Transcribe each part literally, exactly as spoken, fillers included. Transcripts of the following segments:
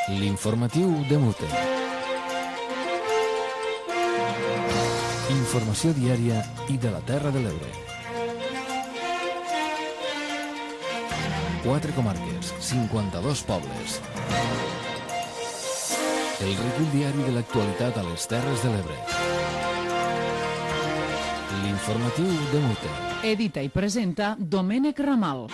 L'informatiu de Mute. Informació diària i de la Terra de l'Ebre. Quatre comarques, cinquanta-dos pobles. El recull diari de l'actualitat a les Terres de l'Ebre. L'informatiu de Mute. Edita i presenta Domènec Ramal.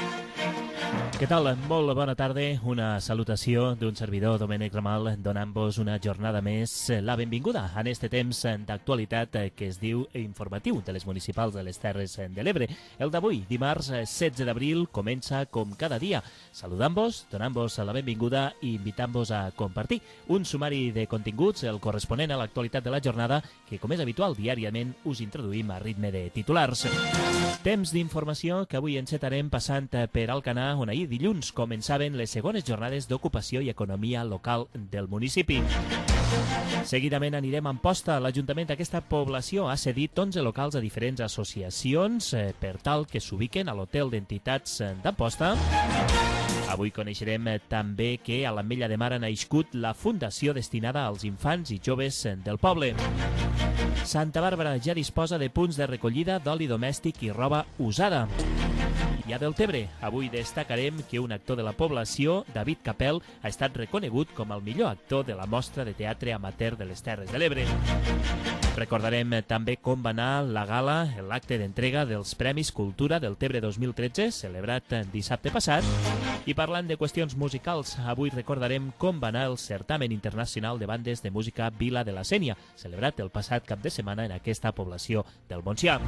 Què tal? Molt bona tarda. Una salutació d'un servidor, Domènec Ramal, donant-vos una jornada més la benvinguda en este temps d'actualitat que es diu informatiu de les municipals de les Terres de l'Ebre. El d'avui, dimarts setze d'abril, comença com cada dia, saludant-vos, donant-vos la benvinguda i invitant-vos a compartir un sumari de continguts, el corresponent a l'actualitat de la jornada, que, com és habitual, diàriament us introduïm a ritme de titulars. Temps d'informació que avui encetarem passant per Alcanar, on ahir dilluns començaven les segones jornades d'ocupació i economia local del municipi. Seguidament anirem a Amposta. L'Ajuntament d'aquesta població ha cedit onze locals a diferents associacions eh, per tal que s'ubiquen a l'Hotel d'Entitats d'Amposta. Avui coneixerem també que a l'Ametlla de Mar ha nascut la fundació destinada als infants i joves del poble. Santa Bàrbara ja disposa de punts de recollida d'oli domèstic i roba usada. I a Deltebre, avui destacarem que un actor de la població, David Capel, ha estat reconegut com el millor actor de la mostra de teatre amateur de les Terres de l'Ebre. Recordarem també com va anar la gala, l'acte d'entrega dels Premis Cultura Deltebre dos mil tretze, celebrat dissabte passat. I parlant de qüestions musicals, avui recordarem com va anar el certamen internacional de bandes de música Vila de la Sénia, celebrat el passat cap de setmana en aquesta població del Montsià.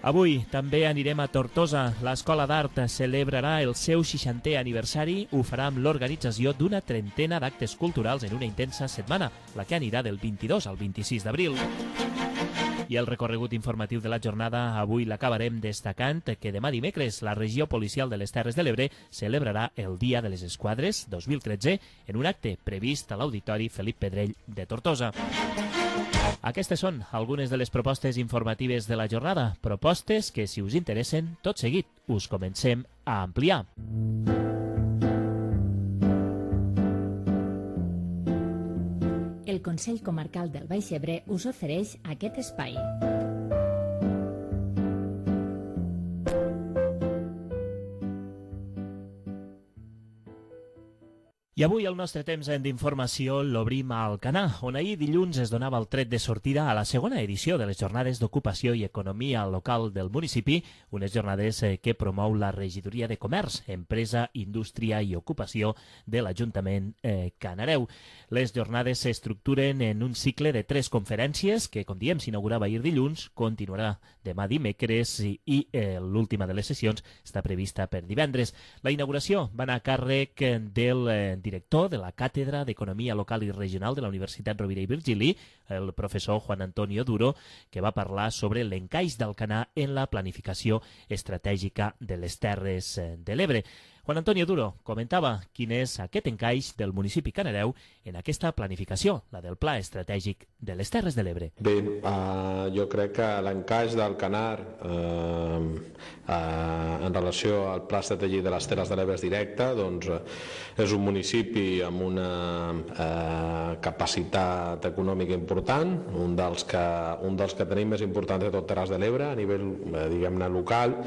Avui també anirem a Tortosa. L'Escola d'Art celebrarà el seu seixantè aniversari. Ho farà amb l'organització d'una trentena d'actes culturals en una intensa setmana, la que anirà del vint-i-dos al vint-i-sis d'abril. I el recorregut informatiu de la jornada avui l'acabarem destacant que demà dimecres la regió policial de les Terres de l'Ebre celebrarà el Dia de les Esquadres dos mil tretze en un acte previst a l'Auditori Felip Pedrell de Tortosa. Aquestes són algunes de les propostes informatives de la jornada, propostes que, si us interessen, tot seguit us comencem a ampliar. El Consell Comarcal del Baix Ebre us ofereix aquest espai. I avui el nostre temps d'informació l'obrim a Alcanar, on ahir dilluns es donava el tret de sortida a la segona edició de les jornades d'ocupació i economia local del municipi, unes jornades que promou la Regidoria de Comerç, Empresa, Indústria i Ocupació de l'Ajuntament eh, Canareu. Les jornades s'estructuren en un cicle de tres conferències que, com diem, s'inaugurava ahir dilluns, continuarà demà dimecres i, i eh, l'última de les sessions està prevista per divendres. La inauguració va anar a càrrec del eh, director de la Càtedra d'Economia Local i Regional de la Universitat Rovira i Virgili, el professor Juan Antonio Duro, que va parlar sobre l'encaix d'Alcanar en la planificació estratègica de les Terres de l'Ebre. Juan Antonio Duro comentava quin és aquest encaix del municipi Canareu en aquesta planificació, la del Pla Estratègic de les Terres de l'Ebre. Bé, uh, jo crec que l'encaix d'Alcanar uh, uh, en relació al Pla Estratègic de les Terres de l'Ebre és directe, doncs uh, és un municipi amb una uh, capacitat econòmica important, un dels, que, un dels que tenim més importants de tot Terres de l'Ebre a nivell, uh, diguem-ne, local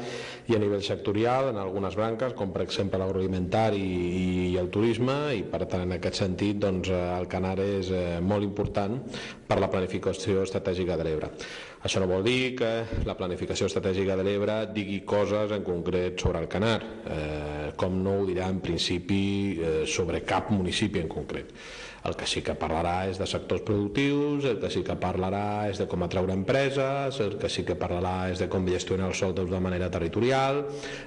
i a nivell sectorial en algunes branques, com per exemple l'agroalimentari i el turisme, i per tant en aquest sentit doncs, Alcanar és eh, molt important per la planificació estratègica de l'Ebre. Això no vol dir que la planificació estratègica de l'Ebre digui coses en concret sobre Alcanar, eh, com no ho dirà en principi eh, sobre cap municipi en concret. El que sí que parlarà és de sectors productius, el que sí que parlarà és de com atraure empreses, el que sí que parlarà és de com gestionar els sòls de manera territorial,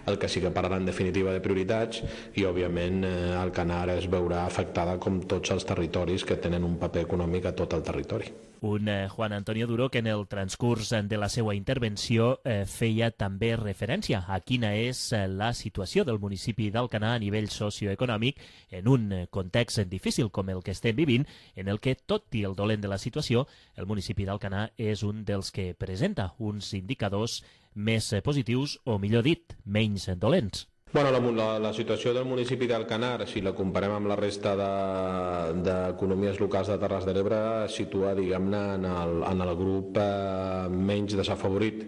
el que sí que parlarà en definitiva de prioritats i, òbviament, eh, Alcanar es veurà afectada com tots els territoris que tenen un paper econòmic a tot el territori. Un eh, Juan Antonio Duro que en el transcurs de la seva intervenció eh, feia també referència a quina és eh, la situació del municipi d'Alcanar a nivell socioeconòmic en un eh, context difícil com el que estem vivint, en el que, tot i el dolent de la situació, el municipi d'Alcanar és un dels que presenta uns indicadors més eh, positius o, millor dit, menys dolents. Bueno, la, la, la situació del municipi d'Alcanar, si la comparem amb la resta d'economies de, locals de Terres de l'Ebre, es situa, diguem-ne, en, el, en el grup eh, menys desafavorit.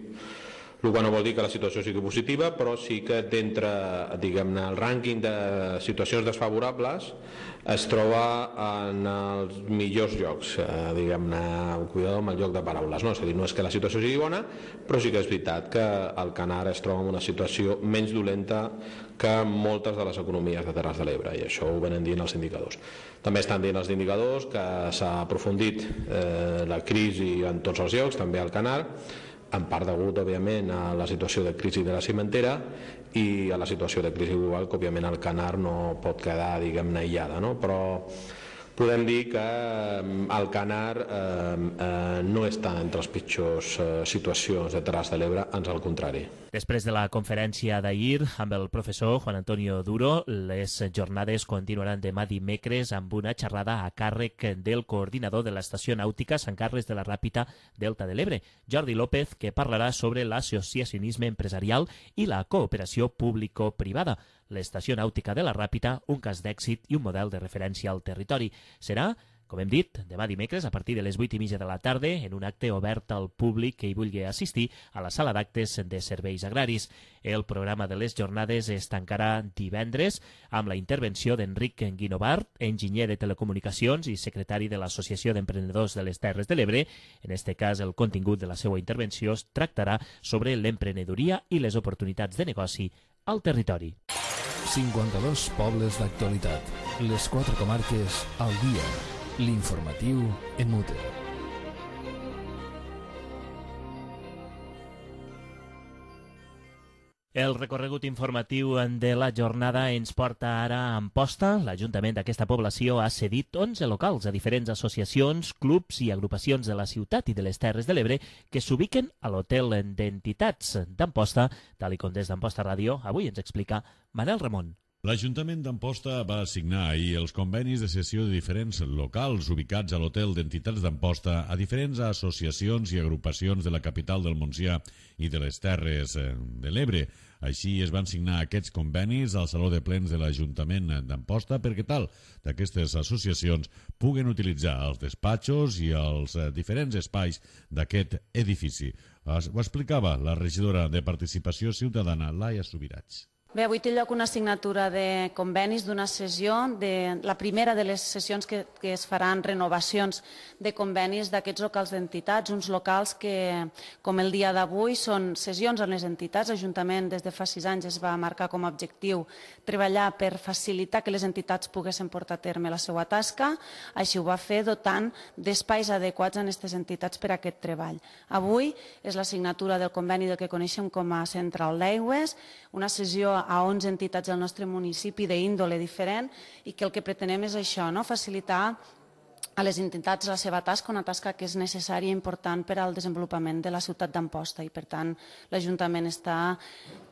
El que no vol dir que la situació sigui positiva, però sí que d'entre, diguem-ne, el rànquing de situacions desfavorables es troba en els millors llocs, eh, diguem-ne, cuidado amb el joc de paraules, no? És a dir, no és que la situació sigui bona, però sí que és veritat que Alcanar es troba en una situació menys dolenta que moltes de les economies de Terres de l'Ebre, i això ho venen dient els indicadors. També estan dient els indicadors que s'ha aprofundit eh, la crisi en tots els llocs, també a Alcanar, en part degut, òbviament, a la situació de crisi de la cimentera i a la situació de crisi global, que òbviament Alcanar no pot quedar, diguem-ne, aïllada, no? Però podem dir que Alcanar eh, eh, no està entre les pitjors eh, situacions de Terres de l'Ebre, ans al contrari. Després de la conferència d'ahir amb el professor Juan Antonio Duro, les jornades continuaran demà dimecres amb una xerrada a càrrec del coordinador de l'Estació Nàutica Sant Carles de la Ràpita Delta de l'Ebre, Jordi López, que parlarà sobre l'associacionisme empresarial i la cooperació público-privada. L'Estació Nàutica de la Ràpita, un cas d'èxit i un model de referència al territori. Serà, com hem dit, demà dimecres a partir de les vuit i mitja de la tarda en un acte obert al públic que hi vulgui assistir a la sala d'actes de serveis agraris. El programa de les jornades es tancarà divendres amb la intervenció d'Enric Guinovart, enginyer de telecomunicacions i secretari de l'Associació d'Emprenedors de les Terres de l'Ebre. En este cas, el contingut de la seva intervenció es tractarà sobre l'emprenedoria i les oportunitats de negoci al territori. cinquanta-dos pobles d'actualitat. Les quatre comarques al dia. L'informatiu en Mute. El recorregut informatiu de la jornada ens porta ara a Amposta. L'Ajuntament d'aquesta població ha cedit onze locals a diferents associacions, clubs i agrupacions de la ciutat i de les Terres de l'Ebre que s'ubiquen a l'Hotel d'Entitats d'Amposta, tal com des d'Amposta Ràdio avui ens explica Manel Ramon. L'Ajuntament d'Amposta va assignar ahir els convenis de cessió de diferents locals ubicats a l'Hotel d'Entitats d'Amposta a diferents associacions i agrupacions de la capital del Montsià i de les Terres de l'Ebre. Així es van signar aquests convenis al Saló de Plens de l'Ajuntament d'Amposta perquè tal d'aquestes associacions puguen utilitzar els despatxos i els diferents espais d'aquest edifici. Ho explicava la regidora de Participació Ciutadana, Laia Subirats. Bé, avui té lloc una signatura de convenis d'una sessió, de la primera de les sessions que, que es faran renovacions de convenis d'aquests locals d'entitats, uns locals que, com el dia d'avui, són sessions en les entitats. L'Ajuntament des de fa sis anys es va marcar com a objectiu treballar per facilitar que les entitats poguessin portar a terme la seva tasca. Així ho va fer dotant d'espais adequats en aquestes entitats per a aquest treball. Avui és la signatura del conveni del que coneixem com a Central d'Aigües, una sessió a onze entitats del nostre municipi d'índole diferent i que el que pretenem és això, no? Facilitar a les entitats la seva tasca, una tasca que és necessària i important per al desenvolupament de la ciutat d'Amposta i per tant l'Ajuntament està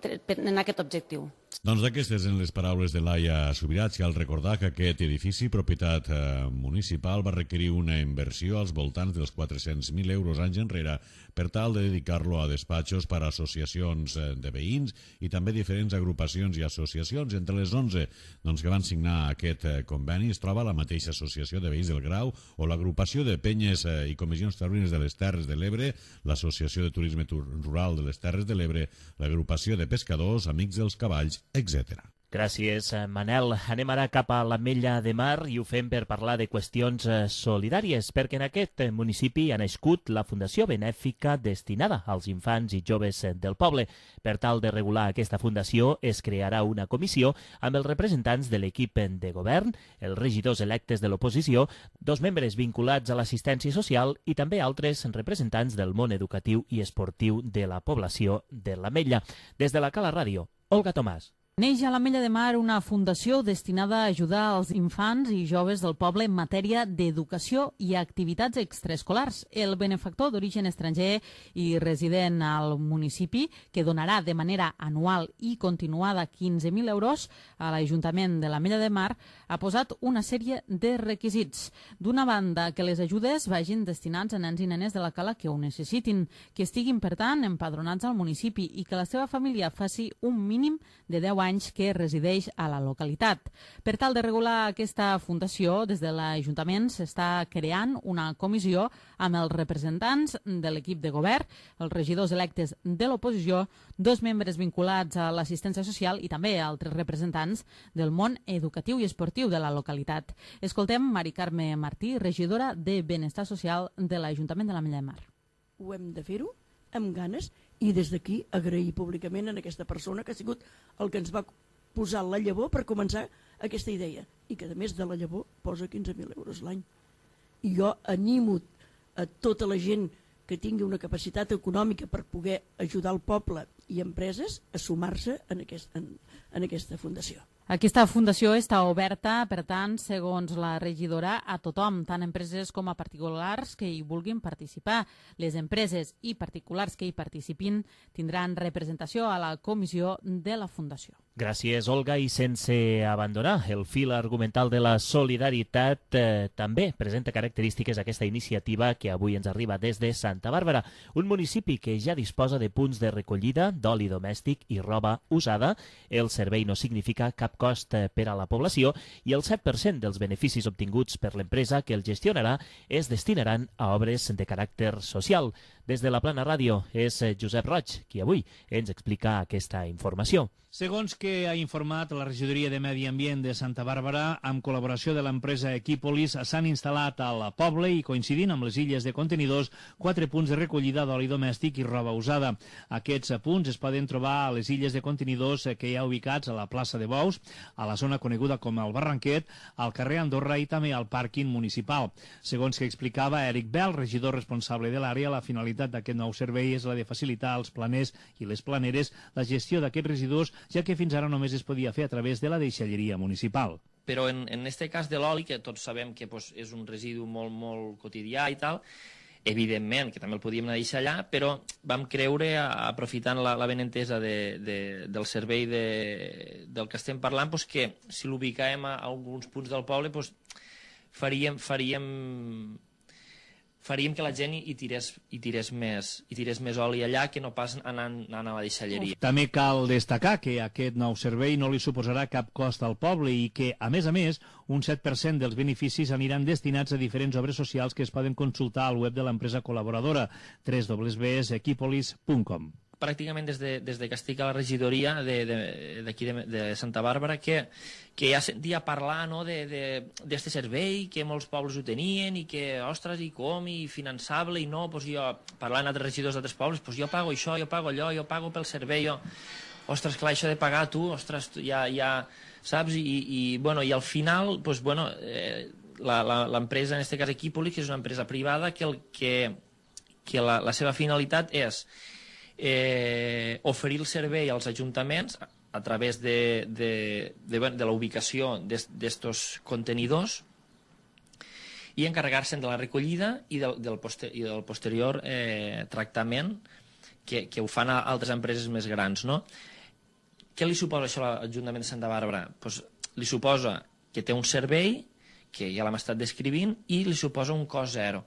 en aquest objectiu. Doncs d'aquestes en les paraules de Laia Subirats, cal recordar que aquest edifici, propietat eh, municipal, va requerir una inversió als voltants dels quatre-cents mil euros anys enrere per tal de dedicar-lo a despatxos per a associacions eh, de veïns i també diferents agrupacions i associacions. Entre les onze doncs, que van signar aquest eh, conveni es troba la mateixa Associació de Veïns del Grau o l'Agrupació de Penyes eh, i Comissions Taurines de les Terres de l'Ebre, l'Associació de Turisme Rural de les Terres de l'Ebre, l'Agrupació de Pescadors, Amics dels Cavalls, etcètera. Gràcies, Manel. Anem ara cap a l'Ametlla de Mar i ho fem per parlar de qüestions solidàries, perquè en aquest municipi ha nascut la Fundació Benèfica destinada als infants i joves del poble. Per tal de regular aquesta fundació es crearà una comissió amb els representants de l'equip de govern, els regidors electes de l'oposició, dos membres vinculats a l'assistència social i també altres representants del món educatiu i esportiu de la població de l'Ametlla. Des de la Cala Ràdio, Olga Tomàs. Neix a l'Ametlla de Mar una fundació destinada a ajudar els infants i joves del poble en matèria d'educació i activitats extraescolars. El benefactor d'origen estranger i resident al municipi, que donarà de manera anual i continuada quinze mil euros a l'Ajuntament de l'Ametlla de Mar, ha posat una sèrie de requisits. D'una banda, que les ajudes vagin destinats a nens i nenes de la cala que ho necessitin, que estiguin, per tant, empadronats al municipi i que la seva família faci un mínim de deu anys anys que resideix a la localitat. Per tal de regular aquesta fundació, des de l'Ajuntament s'està creant una comissió amb els representants de l'equip de govern, els regidors electes de l'oposició, dos membres vinculats a l'assistència social i també altres representants del món educatiu i esportiu de la localitat. Escoltem Mari Carme Martí, regidora de Benestar Social de l'Ajuntament de l'Ametlla de Mar. Ho hem de fer-ho amb ganes i des d'aquí agrair públicament a aquesta persona que ha sigut el que ens va posar la llavor per començar aquesta idea i que a més de la llavor posa quinze mil euros l'any. I jo animo a tota la gent que tingui una capacitat econòmica per poder ajudar el poble i empreses a sumar-se en, aquest, en, en aquesta fundació. Aquesta fundació està oberta, per tant, segons la regidora, a tothom, tant empreses com a particulars que hi vulguin participar. Les empreses i particulars que hi participin tindran representació a la comissió de la fundació. Gràcies, Olga. I sense abandonar el fil argumental de la solidaritat, eh, també presenta característiques aquesta iniciativa que avui ens arriba des de Santa Bàrbara, un municipi que ja disposa de punts de recollida d'oli domèstic i roba usada. El servei no significa cap cost per a la població i el set per cent dels beneficis obtinguts per l'empresa que el gestionarà es destinaran a obres de caràcter social. Des de la Plana Ràdio és Josep Roig, qui avui ens explica aquesta informació. Segons que ha informat la regidoria de Medi Ambient de Santa Bàrbara, amb col·laboració de l'empresa Equipolis, s'han instal·lat al poble i coincidint amb les illes de contenidors quatre punts de recollida d'oli domèstic i roba usada. Aquests punts es poden trobar a les illes de contenidors que hi ha ubicats a la plaça de Bous, a la zona coneguda com el Barranquet, al carrer Andorra i també al pàrquing municipal. Segons que explicava Eric Bell, regidor responsable de l'àrea, la finalitat d'aquest nou servei és la de facilitar als planers i les planeres la gestió d'aquests residus, ja que fins ara només es podia fer a través de la deixalleria municipal. Però en, en este cas de l'oli, que tots sabem que pues, és un residu molt, molt quotidià i tal, evidentment que també el podíem anar a deixar allà, però vam creure, aprofitant la, la benentesa de, de, del servei de, del que estem parlant, pues, que si l'ubicàvem a, a alguns punts del poble, pues, faríem... faríem faríem que la gent hi tirés, hi tirés, més, hi tirés més oli allà que no pas anant, anant a la deixalleria. També cal destacar que aquest nou servei no li suposarà cap cost al poble i que, a més a més, un set per cent dels beneficis aniran destinats a diferents obres socials que es poden consultar al web de l'empresa col·laboradora w w w punt equipolis punt com. Pràcticament des de, des de que estic a la regidoria d'aquí de, de, de, de Santa Bàrbara, que, que ja sentia parlar no, d'aquest servei, que molts pobles ho tenien i que, ostres, i com, i finançable, i no, doncs jo, parlant amb altres regidors d'altres pobles, doncs jo pago això, jo pago allò, jo pago pel servei, jo... Ostres, clar, això de pagar tu, ostres, ja, ja saps? I, i, bueno, i al final, doncs, bueno, eh, l'empresa, en aquest cas Equipolis, que és una empresa privada, que, el, que, que la, la seva finalitat és Eh, oferir el servei als ajuntaments a través de, de, de, de la ubicació d'estos contenidors i encarregar-se'n de la recollida i del, del, poster, i del posterior eh, tractament que, que ho fan a altres empreses més grans, no? Què li suposa això a l'Ajuntament de Santa Bàrbara? Pues, li suposa que té un servei que ja l'hem estat descrivint i li suposa un cost zero.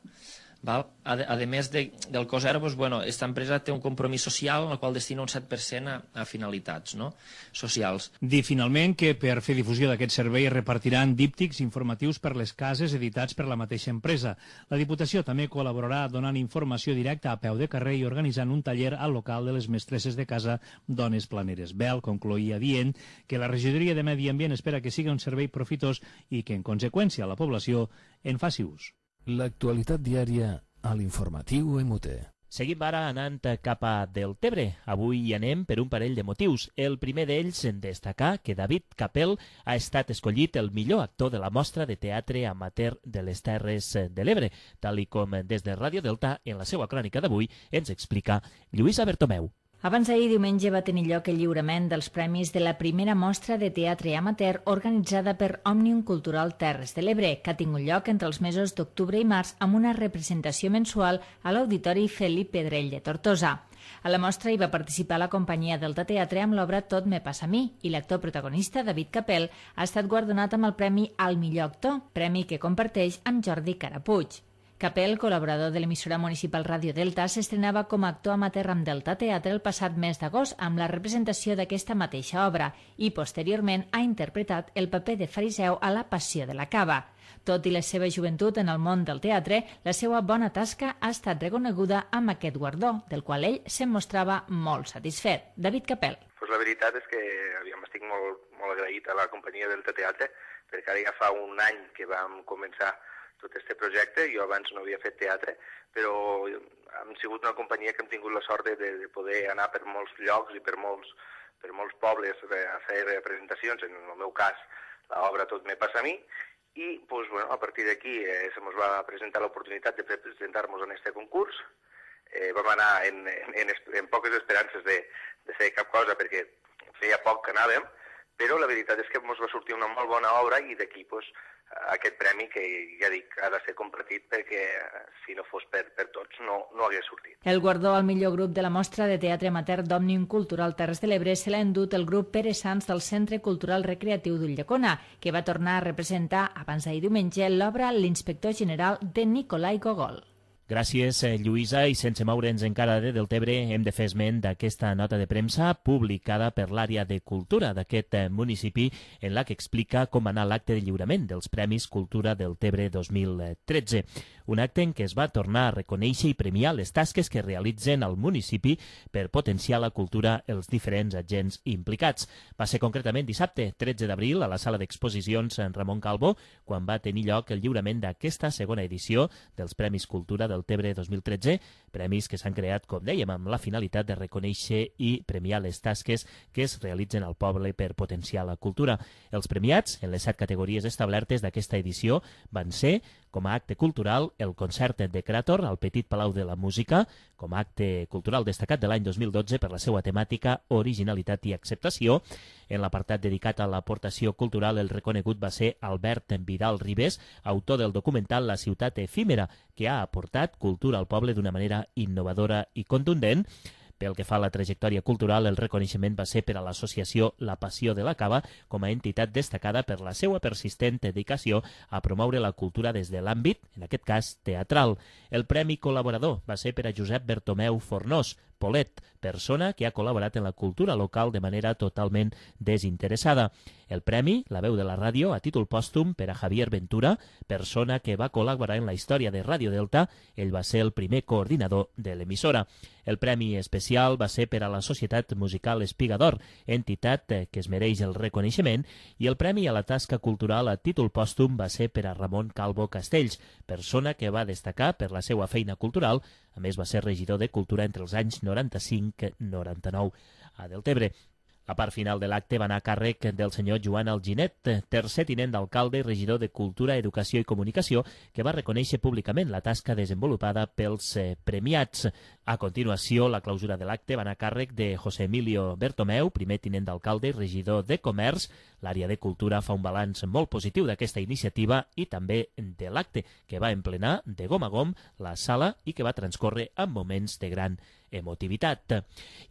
Val? A, a més de, del cost zero, doncs, bueno, aquesta empresa té un compromís social en el qual destina un set per cent a, a finalitats no? socials. Dir finalment que per fer difusió d'aquest servei es repartiran díptics informatius per les cases editats per la mateixa empresa. La Diputació també col·laborarà donant informació directa a peu de carrer i organitzant un taller al local de les mestresses de casa Dones Planeres. Bel concloïa dient que la regidoria de Medi Ambient espera que sigui un servei profitós i que en conseqüència la població en faci ús. L'actualitat diària a l'informatiu M U T. Seguim ara anant cap a Deltebre. Avui hi anem per un parell de motius. El primer d'ells en destacar que David Capel ha estat escollit el millor actor de la mostra de teatre amateur de les Terres de l'Ebre, tal i com des de Ràdio Delta, en la seva crònica d'avui, ens explica Lluïsa Bertomeu. Abans d'ahir diumenge va tenir lloc el lliurament dels premis de la primera mostra de teatre amateur organitzada per Òmnium Cultural Terres de l'Ebre, que ha tingut lloc entre els mesos d'octubre i març amb una representació mensual a l'Auditori Felip Pedrell de Tortosa. A la mostra hi va participar la companyia Delta Teatre amb l'obra Tot me passa a mi i l'actor protagonista, David Capel, ha estat guardonat amb el premi al millor actor, premi que comparteix amb Jordi Carapuig. Capel, col·laborador de l'emissora municipal Ràdio Delta, s'estrenava com a actor amateur amb Delta Teatre el passat mes d'agost amb la representació d'aquesta mateixa obra i, posteriorment, ha interpretat el paper de fariseu a La Passió de la Cava. Tot i la seva joventut en el món del teatre, la seva bona tasca ha estat reconeguda amb aquest guardó, del qual ell se'n mostrava molt satisfet. David Capel. Pues la veritat és que aviam, estic molt, molt agraït a la companyia Delta Teatre, perquè ara ja fa un any que vam començar tot aquest projecte. Jo abans no havia fet teatre, però hem sigut una companyia que hem tingut la sort de, de poder anar per molts llocs i per molts, per molts pobles a fer representacions. En el meu cas, l'obra Tot me passa a mi, i pues, bueno, a partir d'aquí eh, se ens va presentar l'oportunitat de presentar-nos en aquest concurs. Eh, vam anar en, en, en poques esperances de, de fer cap cosa, perquè feia poc que anàvem, però la veritat és que ens va sortir una molt bona obra i d'aquí pues, aquest premi que, ja dic, ha de ser compartit perquè si no fos per, per tots no, no hagués sortit. El guardó al millor grup de la mostra de teatre amateur d'Òmnium Cultural Terres de l'Ebre se l'ha endut el grup Pere Sans del Centre Cultural Recreatiu d'Ulldecona, que va tornar a representar abans d'ahir diumenge l'obra L'inspector general de Nicolai Gogol. Gràcies, Lluïsa, i sense moure'ns encara de Deltebre, hem de fer esment d'aquesta nota de premsa publicada per l'àrea de cultura d'aquest municipi en la que explica com anar l'acte de lliurament dels Premis Cultura Deltebre dos mil tretze. Un acte en què es va tornar a reconèixer i premiar les tasques que realitzen al municipi per potenciar la cultura els diferents agents implicats. Va ser concretament dissabte, tretze d'abril, a la sala d'exposicions Ramon Calvo, quan va tenir lloc el lliurament d'aquesta segona edició dels Premis Cultura del Deltebre dos mil tretze, premis que s'han creat, com dèiem, amb la finalitat de reconèixer i premiar les tasques que es realitzen al poble per potenciar la cultura. Els premiats, en les set categories establertes d'aquesta edició, van ser, com a acte cultural, el concert de Creator al Petit Palau de la Música, com a acte cultural destacat de l'any dos mil dotze per la seva temàtica, originalitat i acceptació. En l'apartat dedicat a l'aportació cultural, el reconegut va ser Albert Vidal Ribes, autor del documental La ciutat efímera, que ha aportat cultura al poble d'una manera innovadora i contundent. Pel que fa a la trajectòria cultural, el reconeixement va ser per a l'associació La Passió de la Cava com a entitat destacada per la seva persistent dedicació a promoure la cultura des de l'àmbit, en aquest cas, teatral. El premi col·laborador va ser per a Josep Bertomeu Fornós, Polet, persona que ha col·laborat en la cultura local de manera totalment desinteressada. El premi, La veu de la ràdio, a títol pòstum per a Javier Ventura, persona que va col·laborar en la història de Ràdio Delta. Ell va ser el primer coordinador de l'emissora. El premi especial va ser per a la Societat Musical Espigador, entitat que es mereix el reconeixement, i el premi a la tasca cultural a títol pòstum va ser per a Ramon Calvo Castells, persona que va destacar per la seva feina cultural. A més, va ser regidor de Cultura entre els anys noranta-cinc noranta-nou a Deltebre. La part final de l'acte va anar a càrrec del senyor Joan Alginet, tercer tinent d'alcalde i regidor de Cultura, Educació i Comunicació, que va reconèixer públicament la tasca desenvolupada pels premiats. A continuació, la clausura de l'acte va anar a càrrec de José Emilio Bertomeu, primer tinent d'alcalde i regidor de Comerç. L'àrea de Cultura fa un balanç molt positiu d'aquesta iniciativa i també de l'acte, que va emplenar de gom a gom la sala i que va transcórrer en moments de gran emotivitat.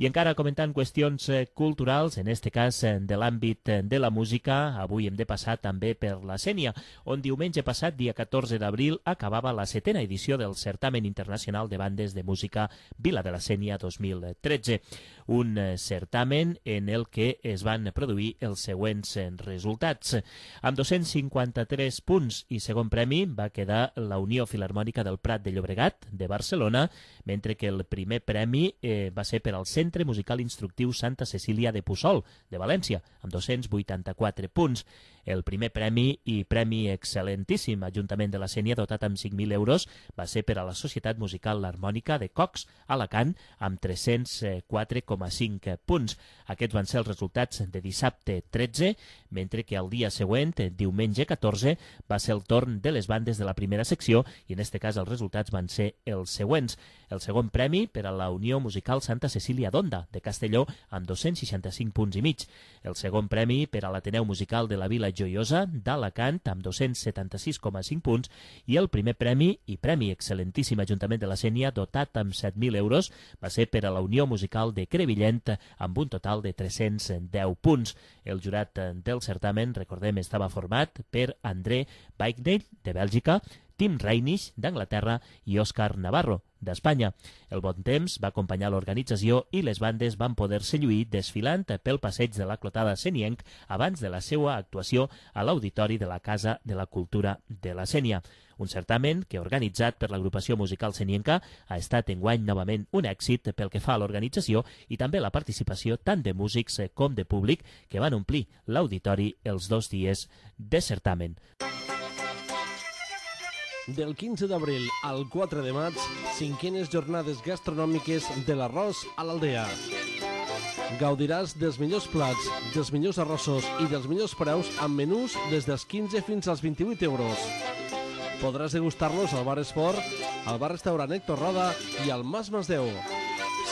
I encara comentant qüestions culturals, en este cas de l'àmbit de la música, avui hem de passar també per la Sénia, on diumenge passat, dia catorze d'abril, acabava la setena edició del Certamen Internacional de Bandes de Música Vila de la Sénia dos mil tretze. Un certamen en el que es van produir els següents resultats. Amb dos-cents cinquanta-tres punts i segon premi va quedar la Unió Filharmònica del Prat de Llobregat, de Barcelona, mentre que el primer premi eh, va ser per al Centre Musical Instructiu Santa Cecília de Puçol, de València, amb dos-cents vuitanta-quatre punts. El primer premi i premi excel·lentíssim Ajuntament de la Sénia, dotat amb cinc mil euros, va ser per a la Societat Musical L'Harmònica de Cox, Alacant, amb tres-cents quatre coma cinc punts. Aquests van ser els resultats de dissabte tretze, mentre que el dia següent, diumenge catorze, va ser el torn de les bandes de la primera secció i en este cas els resultats van ser els següents. El segon premi per a la Unió Musical Santa Cecília d'Onda, de Castelló, amb dos-cents seixanta-cinc punts i mig. El segon premi per a l'Ateneu Musical de la Vila Joiosa, d'Alacant, amb dos-cents setanta-sis coma cinc punts, i el primer premi i premi excel·lentíssim Ajuntament de la Sénia, dotat amb set mil euros, va ser per a la Unió Musical de Crevillent, amb un total de tres-cents deu punts. El jurat del certamen, recordem, estava format per André Weigner, de Bèlgica, Tim Reinisch, d'Anglaterra, i Òscar Navarro, d'Espanya. El bon temps va acompanyar l'organització i les bandes van poder-se lluir desfilant pel passeig de la Clotada Senienc abans de la seva actuació a l'Auditori de la Casa de la Cultura de la Sénia. Un certamen que, organitzat per l'agrupació musical senienca, ha estat enguany novament un èxit pel que fa a l'organització i també la participació tant de músics com de públic que van omplir l'auditori els dos dies de certamen. Del quinze d'abril al quatre de maig, cinquenes jornades gastronòmiques de l'arròs a l'Aldea. Gaudiràs dels millors plats, dels millors arrossos i dels millors preus amb menús des dels quinze fins als vint-i-vuit euros. Podràs degustar-los al Bar Esport, al Bar Restaurant Héctor Roda i al Mas Masdeu.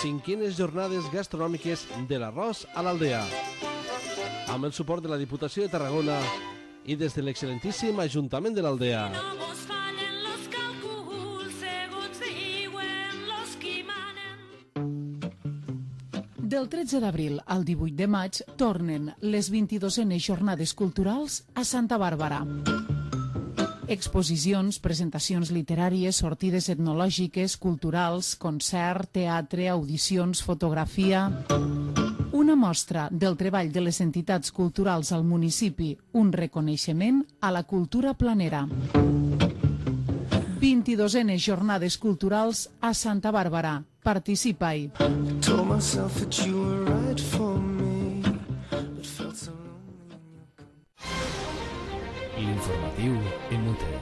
Cinquenes jornades gastronòmiques de l'arròs a l'Aldea. Amb el suport de la Diputació de Tarragona i des de l'excel·lentíssim Ajuntament de l'Aldea. Del tretze d'abril al divuit de maig tornen les vint-i-dosenes jornades culturals a Santa Bàrbara. Exposicions, presentacions literàries, sortides etnològiques, culturals, concert, teatre, audicions, fotografia... Una mostra del treball de les entitats culturals al municipi, un reconeixement a la cultura planera. vint-i-dosenes jornades culturals a Santa Bàrbara. Participa-hi. L'informatiu en Mute.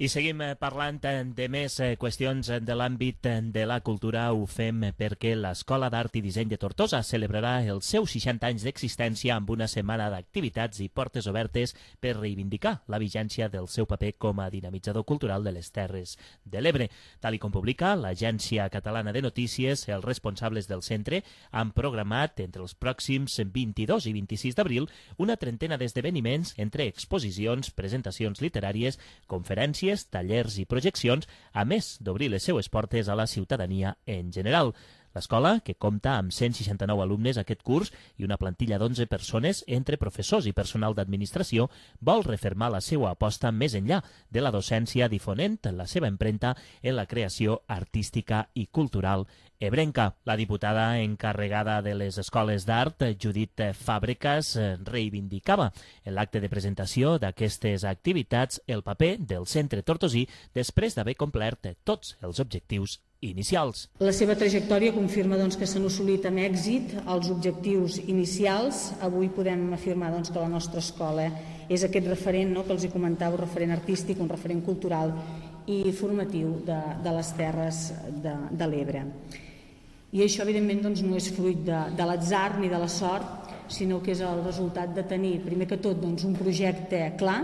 I seguim parlant de més qüestions de l'àmbit de la cultura. Ho fem perquè l'Escola d'Art i Disseny de Tortosa celebrarà els seus seixanta anys d'existència amb una setmana d'activitats i portes obertes per reivindicar la vigència del seu paper com a dinamitzador cultural de les Terres de l'Ebre. Tal i com publica l'Agència Catalana de Notícies, els responsables del centre han programat entre els pròxims vint-i-dos i vint-i-sis d'abril una trentena d'esdeveniments entre exposicions, presentacions literàries, conferències, tallers i projeccions, a més d'obrir les seues portes a la ciutadania en general. L'escola, que compta amb cent seixanta-nou alumnes aquest curs i una plantilla d'onze persones entre professors i personal d'administració, vol refermar la seva aposta més enllà de la docència, difonent la seva empremta en la creació artística i cultural ebrenca. La diputada encarregada de les escoles d'art, Judit Fàbregas, reivindicava en l'acte de presentació d'aquestes activitats el paper del centre tortosí després d'haver complert tots els objectius inicials. La seva trajectòria confirma doncs, que s'han assolit amb èxit els objectius inicials. Avui podem afirmar doncs, que la nostra escola és aquest referent, no?, que els hi comentava, un referent artístic, un referent cultural i formatiu de, de les Terres de, de l'Ebre. I això, evidentment, doncs, no és fruit de, de l'atzar ni de la sort, sinó que és el resultat de tenir, primer que tot, doncs, un projecte clar,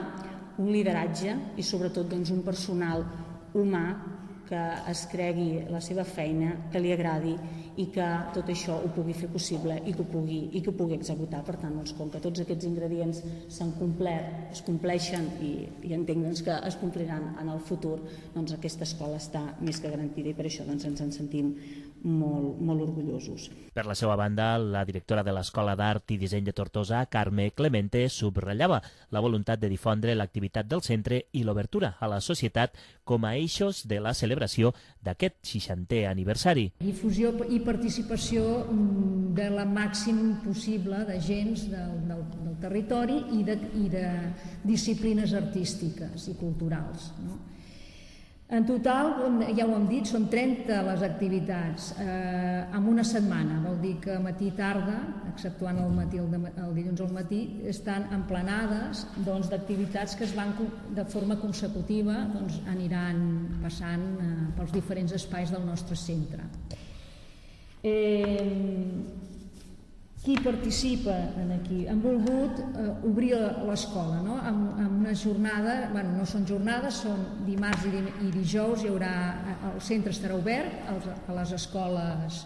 un lideratge i, sobretot, doncs, un personal humà que es cregui la seva feina, que li agradi i que tot això ho pugui fer possible i que ho pugui, i que ho pugui executar. Per tant, doncs, com que tots aquests ingredients s'han complert, es compleixen i, i entenc doncs, que es compliran en el futur, doncs aquesta escola està més que garantida i per això doncs, ens en sentim molt, molt orgullosos. Per la seva banda, la directora de l'Escola d'Art i Disseny de Tortosa, Carme Clemente, subratllava la voluntat de difondre l'activitat del centre i l'obertura a la societat com a eixos de la celebració d'aquest seixantè aniversari. Difusió i participació de la màxim possible d'agents del, del, del territori i de, i de disciplines artístiques i culturals, no? En total, ja ho hem dit, són trenta les activitats eh, en una setmana. Vol dir que matí i tarda, exceptuant el, matí, el, de, el dilluns al matí, estan emplenades doncs, d'activitats que es van de forma consecutiva doncs, aniran passant eh, pels diferents espais del nostre centre. Eh, qui participa en aquí? Han volgut eh, obrir l'escola, no? amb, amb una jornada, bueno, no són jornades, són dimarts i, di, i dijous, hi haurà, el centre estarà obert als, a les escoles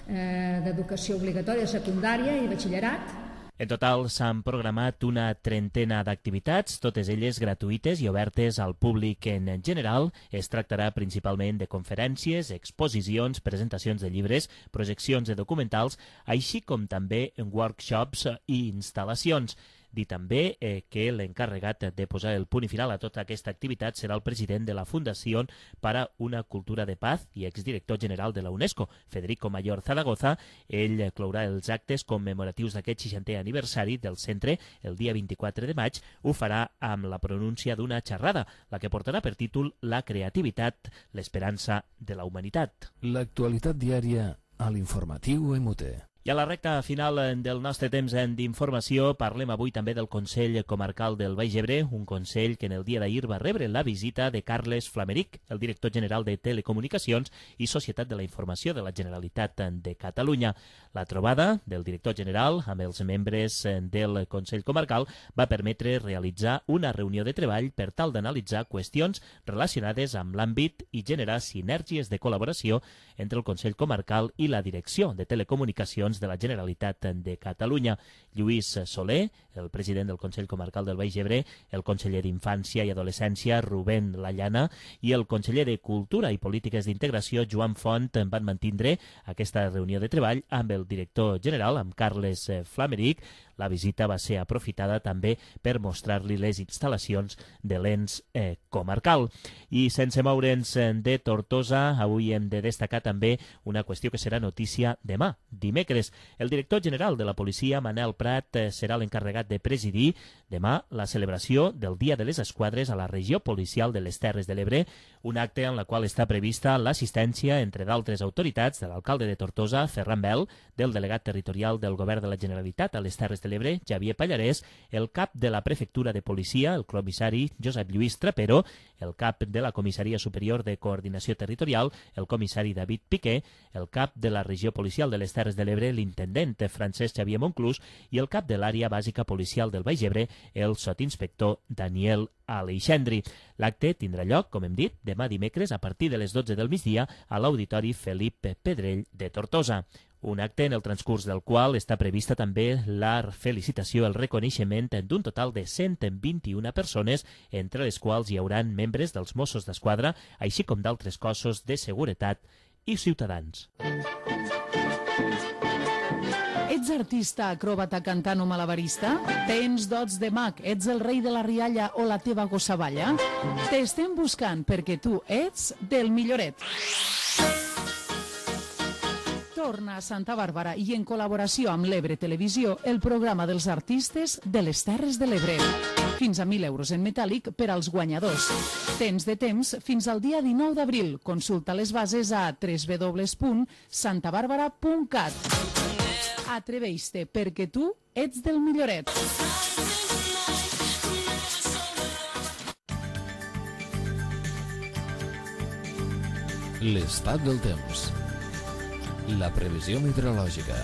eh, d'educació obligatòria, secundària i batxillerat. En total s'han programat una trentena d'activitats, totes elles gratuïtes i obertes al públic en general. Es tractarà principalment de conferències, exposicions, presentacions de llibres, projeccions de documentals, així com també en workshops i instal·lacions. Dir també eh, que l'encarregat de posar el punt final a tota aquesta activitat serà el president de la Fundació para una Cultura de Paz i exdirector general de la UNESCO, Federico Mayor Zaragoza. Ell clourà els actes commemoratius d'aquest seixantè aniversari del centre el dia vint-i-quatre de maig. Ho farà amb la pronúncia d'una xerrada, la que portarà per títol La creativitat, l'esperança de la humanitat. L'actualitat diària a l'informatiu E M U T E. I a la recta final del nostre temps d'informació parlem avui també del Consell Comarcal del Baix Ebre, un consell que en el dia d'ahir va rebre la visita de Carles Flameric, el director general de Telecomunicacions i Societat de la Informació de la Generalitat de Catalunya. La trobada del director general amb els membres del Consell Comarcal va permetre realitzar una reunió de treball per tal d'analitzar qüestions relacionades amb l'àmbit i generar sinergies de col·laboració entre el Consell Comarcal i la Direcció de Telecomunicacions de la Generalitat de Catalunya. Lluís Soler, el president del Consell Comarcal del Baix Ebre, el conseller d'Infància i Adolescència, Rubén Lallana, i el conseller de Cultura i Polítiques d'Integració, Joan Font, van mantindre aquesta reunió de treball amb el director general, amb Carles Flameric. La visita va ser aprofitada també per mostrar-li les instal·lacions de l'ens eh, comarcal. I sense moure'ns de Tortosa, avui hem de destacar també una qüestió que serà notícia demà, dimecres. El director general de la policia, Manel Prat, eh, serà l'encarregat de presidir demà la celebració del Dia de les Esquadres a la regió policial de les Terres de l'Ebre, un acte en la qual està prevista l'assistència, entre d'altres autoritats, de l'alcalde de Tortosa, Ferran Bel, del delegat territorial del Govern de la Generalitat a les Terres de l'Ebre, Javier Pallarès, el cap de la Prefectura de Policia, el comissari Josep Lluís Trapero, el cap de la Comissaria Superior de Coordinació Territorial, el comissari David Piqué, el cap de la Regió Policial de les Terres de l'Ebre, l'intendent Francesc Xavier Monclús, i el cap de l'Àrea Bàsica Policial del Baix Ebre, el sotinspector Daniel Aleixandri. L'acte tindrà lloc, com hem dit, demà dimecres a partir de les dotze del migdia a l'Auditori Felip Pedrell de Tortosa. Un acte en el transcurs del qual està prevista també la felicitació, el reconeixement d'un total de cent vint-i-una persones, entre les quals hi hauran membres dels Mossos d'Esquadra, així com d'altres cossos de seguretat i ciutadans. Ets artista, acròbata, cantant o malabarista? Tens dots de mag, ets el rei de la rialla o la teva gossavalla? T'estem buscant perquè tu ets del milloret. Torna a Santa Bàrbara i en col·laboració amb l'Ebre Televisió el programa dels artistes de les Terres de l'Ebre. Fins a mil euros en metàl·lic per als guanyadors. Tens de temps fins al dia dinou d'abril. Consulta les bases a w w w punt santa bàrbara punt cat. Atreveix-te perquè tu ets del milloret. L'estat del temps. La previsió meteorològica.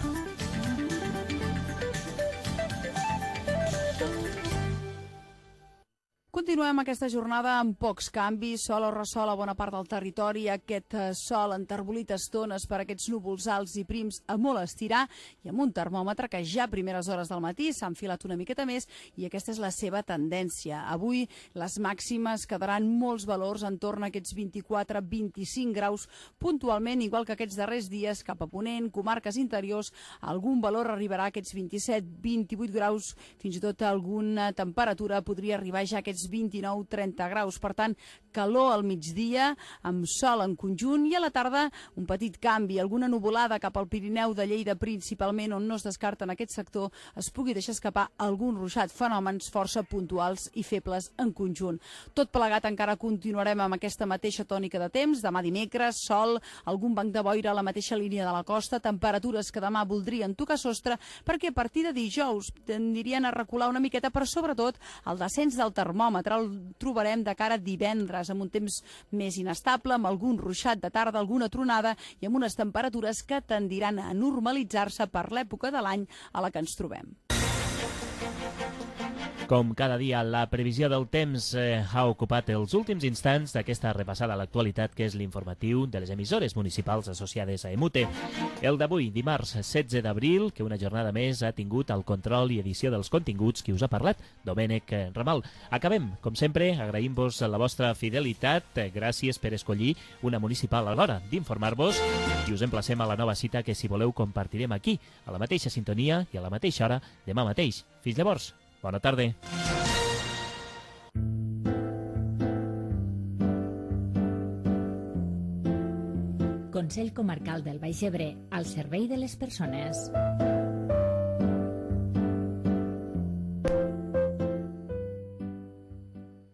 Continuem aquesta jornada amb pocs canvis, sol o ressol a bona part del territori, aquest sol enterbolit estones per aquests núvols alts i prims a molt estirar i amb un termòmetre que ja a primeres hores del matí s'ha enfilat una miqueta més i aquesta és la seva tendència. Avui les màximes quedaran molts valors en torn a aquests vint-i-quatre a vint-i-cinc graus puntualment, igual que aquests darrers dies cap a Ponent, comarques interiors, algun valor arribarà a aquests vint-i-set a vint-i-vuit graus, fins i tot alguna temperatura podria arribar ja a aquests vint-i-nou a trenta graus. Per tant, calor al migdia, amb sol en conjunt i a la tarda un petit canvi, alguna nuvolada cap al Pirineu de Lleida principalment, on no es descarta en aquest sector es pugui deixar escapar algun ruixat, fenòmens força puntuals i febles en conjunt. Tot plegat encara continuarem amb aquesta mateixa tònica de temps, demà dimecres, sol, algun banc de boira a la mateixa línia de la costa, temperatures que demà voldrien tocar sostre perquè a partir de dijous tendirien a recular una miqueta, però sobretot el descens del termòmetre el trobarem de cara a divendres amb un temps més inestable, amb algun ruixat de tarda, alguna tronada i amb unes temperatures que tendiran a normalitzar-se per l'època de l'any a la que ens trobem. Com cada dia, la previsió del temps eh, ha ocupat els últims instants d'aquesta repassada a l'actualitat, que és l'informatiu de les emissores municipals associades a E M U T E. El d'avui, dimarts setze d'abril, que una jornada més ha tingut el control i edició dels continguts qui us ha parlat, Domènec Ramal. Acabem, com sempre, agraïm-vos la vostra fidelitat. Gràcies per escollir una municipal a l'hora d'informar-vos i us emplacem a la nova cita que, si voleu, compartirem aquí, a la mateixa sintonia i a la mateixa hora demà mateix. Fins llavors. Bona tarda. Consell Comarcal del Baix Ebre, al servei de les persones.